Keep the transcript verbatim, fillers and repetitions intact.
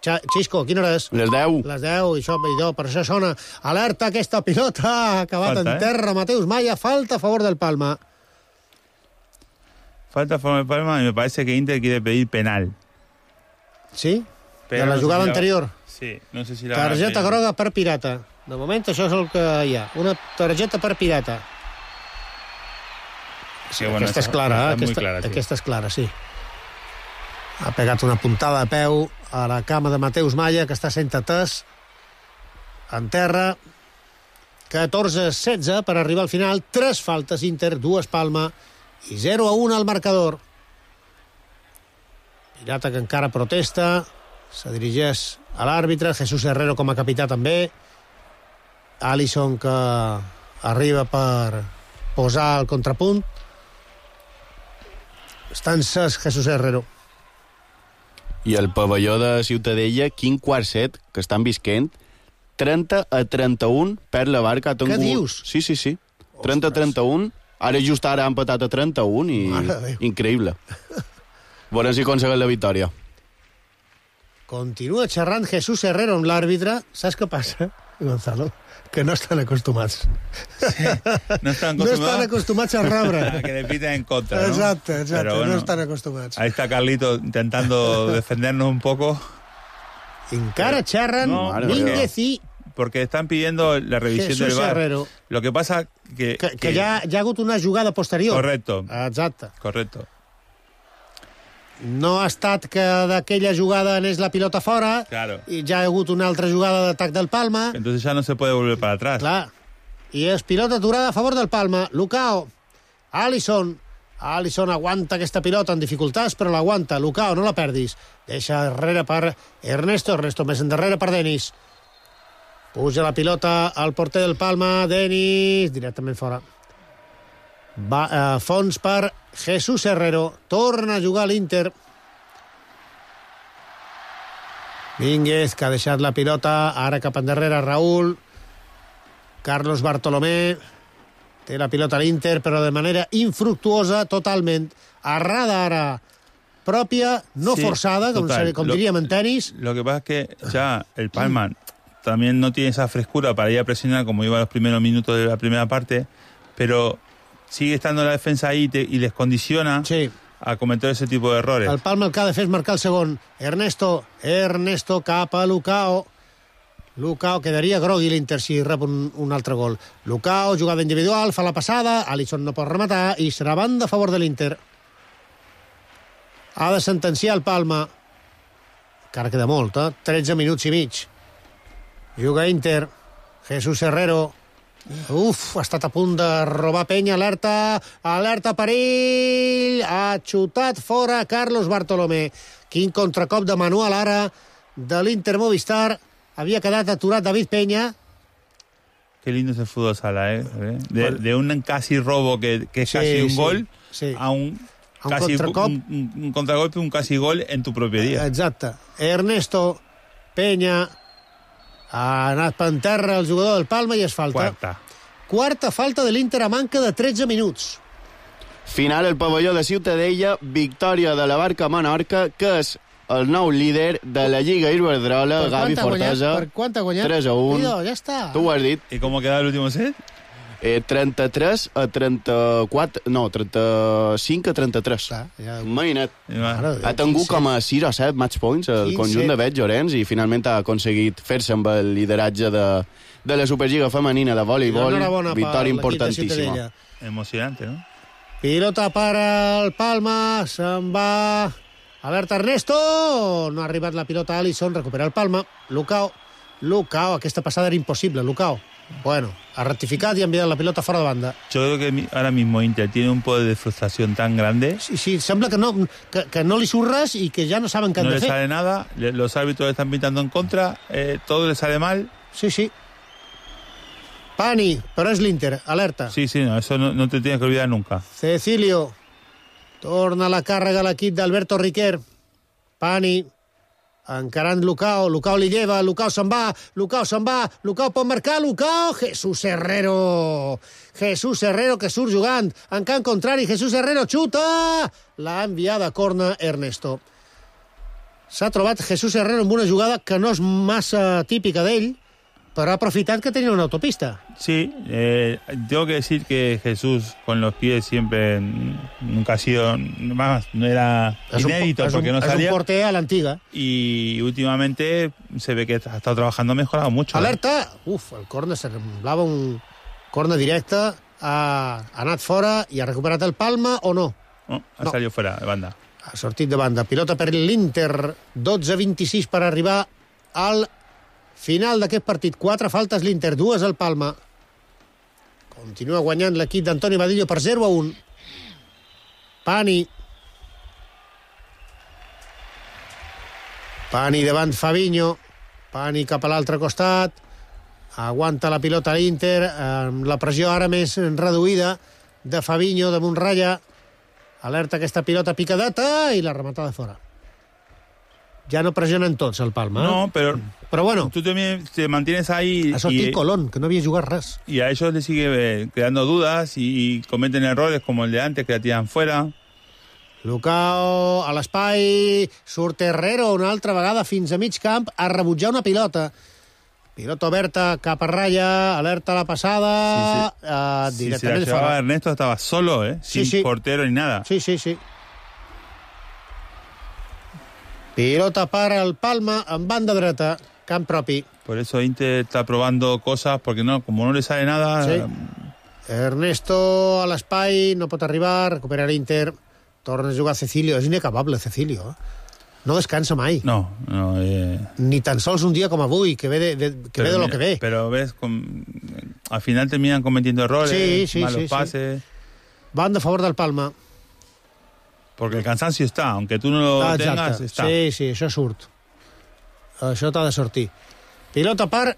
Xisco, quina hora és? Les deu. Les deu, i això, i per això sona. Alerta, aquesta pilota ha acabat falta, en terra. Eh? Mateus Maya, falta a favor del Palma. Falta a favor del Palma y me parece que Inter quiere pedir penal. ¿Sí? Pero de la no jugada si la... anterior. Sí, no sé si la... Targeta groga per pirata. De moment això és el que hi ha. Una targeta per pirata. Sí, bueno, aquesta és clara, eh? Aquesta, clara, sí. Aquesta és clara, sí. Ha pegat una puntada de peu a la cama de Mateus Maya, que està sent atès en terra. catorze a setze per arribar al final. Tres faltes Inter, dues Palma i zero a un al marcador. Pirata que encara protesta. Se dirigeix a l'àrbitre. Jesús Herrero com a capità també. Alisson que arriba per posar el contrapunt. Està encès Jesús Herrero. I el pavelló de Ciutadella, quin quart set, que estan visquent, trenta a trenta-un per la Barca. Què dius? Sí, sí, sí. trenta a trenta-un. Ara just ara han empatat a trenta-un i increïble. Veurem si aconsegueix la victòria. Continua xerrant Jesús Herrero amb l'àrbitre. Saps què passa, Gonzalo? Que no estan acostumats. Sí, no estan acostumats. No estan acostumats a rebre. A que le piten en contra, ¿no? Exacte, exacte. Pero bueno, no estan acostumats. Ahí está Carlito intentando defendernos un poco. Encara xerren no, Mínguez i... Porque están pidiendo la revisión Jesús del V A R. Herrero. Lo que pasa que... Que, que, que ja, ja ha hagut una jugada posterior. Correcto. Exacte. Correcto. No ha estat que d'aquella jugada anés la pilota fora, claro. I ja ha hagut una altra jugada d'atac del Palma. Entonces ya no se puede volver para atrás. Clar. I és pilota aturada a favor del Palma. Lucao, Alisson. Alisson aguanta aquesta pilota en dificultats, però l'aguanta. Lucao, no la perdis. Deixa darrere per Ernesto. Ernesto més endarrere per Denis. Puja la pilota al porter del Palma. Denis, directament fora. Va, eh, fons per Jesús Herrero. Torna a jugar l'Inter. Mínguez, que ha deixat la pilota. Ara cap endarrere Raúl. Carlos Bartolomé. Té la pilota a l'Inter, però de manera infructuosa, totalment. Arrada ara pròpia, no sí, forzada, com, se, com diríem en tenis. Lo que pasa es que ya el Palma también no tiene esa frescura para ir a presionar como iba los primeros minutos de la primera parte, pero sigue estando la defensa ahí te, y les condiciona sí. a cometer ese tipo de errores. El Palma el que ha de fer és marcar el segon. Ernesto, Ernesto cap a Lucao. Lucao, quedaria grogui l'Inter si rep un, un altre gol. Lucao, jugada individual, fa la passada, Alisson no pot rematar i serà banda a favor de l'Inter. Ha de sentenciar el Palma. Encara queda molt, eh? tretze minuts i mig. Juga Inter. Jesús Herrero. Uf, ha estat a punt de robar penya. Alerta, alerta, perill. Ha xutat fora Carlos Bartolomé. Quin contracop de manual ara de l'Inter Movistar. Havia quedat aturat David Peña. Qué lindo es el fútbol sala, ¿eh? De, de un casi robo que, que es sí, casi un sí, gol sí. a un, a un casi contracop. Un, un contragolpe, un casi gol en tu propietat. Exacte. Ernesto Peña ha anat per terra el jugador del Palma i es falta. Quarta. Quarta falta de l'Inter a manca de tretze minuts. Final el pavelló de Ciutadella, victòria de la Barca Menorca, que és el nou líder de la Lliga Iberdrola, Gavi Fortesa. Per quant ha guanyat? tres a un. Idò, ja està. Tu ho has dit. I com ha quedat l'últim set? Eh, trenta-tres a trenta-quatre... No, trenta-cinc a trenta-tres. Clar, ja... Imagina't. Ara, ha tingut com a sis o set match points el conjunt de Bet Llorenç i finalment ha aconseguit fer-se amb el lideratge de, de la Superliga femenina de voleibol. Victòria importantíssima. Emocionante, ¿no? Pilota per al Palma, se'n va... Alerta Ernesto, no ha arribat la pilota a Alisson, recupera el Palma. Lucao, Lucao, aquesta passada era impossible, Lucao. Bueno, ha rectificat y ha enviado la pelota fuera de banda. Yo creo que ahora mismo Inter tiene un poder de frustración tan grande. Sí, sí, sembla que no, que, que no li surt res y que ya no saben qué han no de fer. No le sale nada, los árbitros están pintando en contra, eh, todo le sale mal. Sí, sí. Pani, però és l'Inter, alerta. Sí, sí, no, eso no, no te tienes que olvidar nunca. Cecilio, torna la càrrega a l'equip d'Alberto Riquer. Pani, encarant Lucao, Lucao li lleva, Lucao se'n va, Lucao se'n va, Lucao pot marcar, Lucao, Jesús Herrero, Jesús Herrero que surt jugant, en camp contrari, Jesús Herrero xuta, l'ha enviada a corna Ernesto. s'ha trobat Jesús Herrero amb una jugada que no és massa típica d'ell, pero ha aprofitat que tenía una autopista. Sí, eh, tengo que decir que Jesús con los pies siempre nunca ha sido, más, no era es inédito un, porque un, no salía. Es un porter a la antigua. Y últimamente se ve que ha estado trabajando, ha mejorado mucho. Alerta! Eh? Uf, el córner semblava un córner directe, ha anat fora i ha recuperat el Palma o no? No, ha no. salido fuera de banda. Ha sortit de banda. Pilota per l'Inter, dotze vint-i-sis per arribar al final d'aquest partit. Quatre faltes l'Inter, dues al Palma. Continua guanyant l'equip d'Antoni Badillo per zero a un. Pani. Pani davant Fabinho. Pani cap a l'altre costat. Aguanta la pilota l'Inter. Amb la pressió ara més reduïda de Fabinho damunt ratlla. Alerta aquesta pilota picadeta i la remata de fora. Ya no presionan tots el Palma. No, ¿eh? pero, pero bueno, tú también te mantienes ahí. Ha sortit Colón, que no havia jugat res. Y a ellos les sigue creando dudas y, y cometen errores como el de antes, que la tiran fuera. Lucao a l'espai, surt Herrero una altra vegada fins a mig camp a rebutjar una pilota. Pilota oberta cap a ratlla, alerta a la passada, sí, sí. Uh, si directament se la fora. Ernesto estaba solo, ¿eh? Sí, sin sí. portero ni nada. Sí, sí, sí. Pilota para el Palma en banda dreta, camp propi. Por eso Inter está probando cosas, porque no, como no le sale nada... Sí. Ernesto a l'espai, no pot arribar, recupera l'Inter, torna a jugar Cecilio. És inacabable, Cecilio. No descansa mai. No, no. Eh... Ni tan sols un dia com avui, que ve de, de, que ve de lo mira, que ve. Pero ves, con... al final terminan cometiendo errores, sí, sí, malos sí, pases... Sí. Banda a favor del Palma. Porque el cansancio está, aunque tú no lo ah, tengas, está. Sí, sí, això surt. Això t'ha de sortir. Pilota per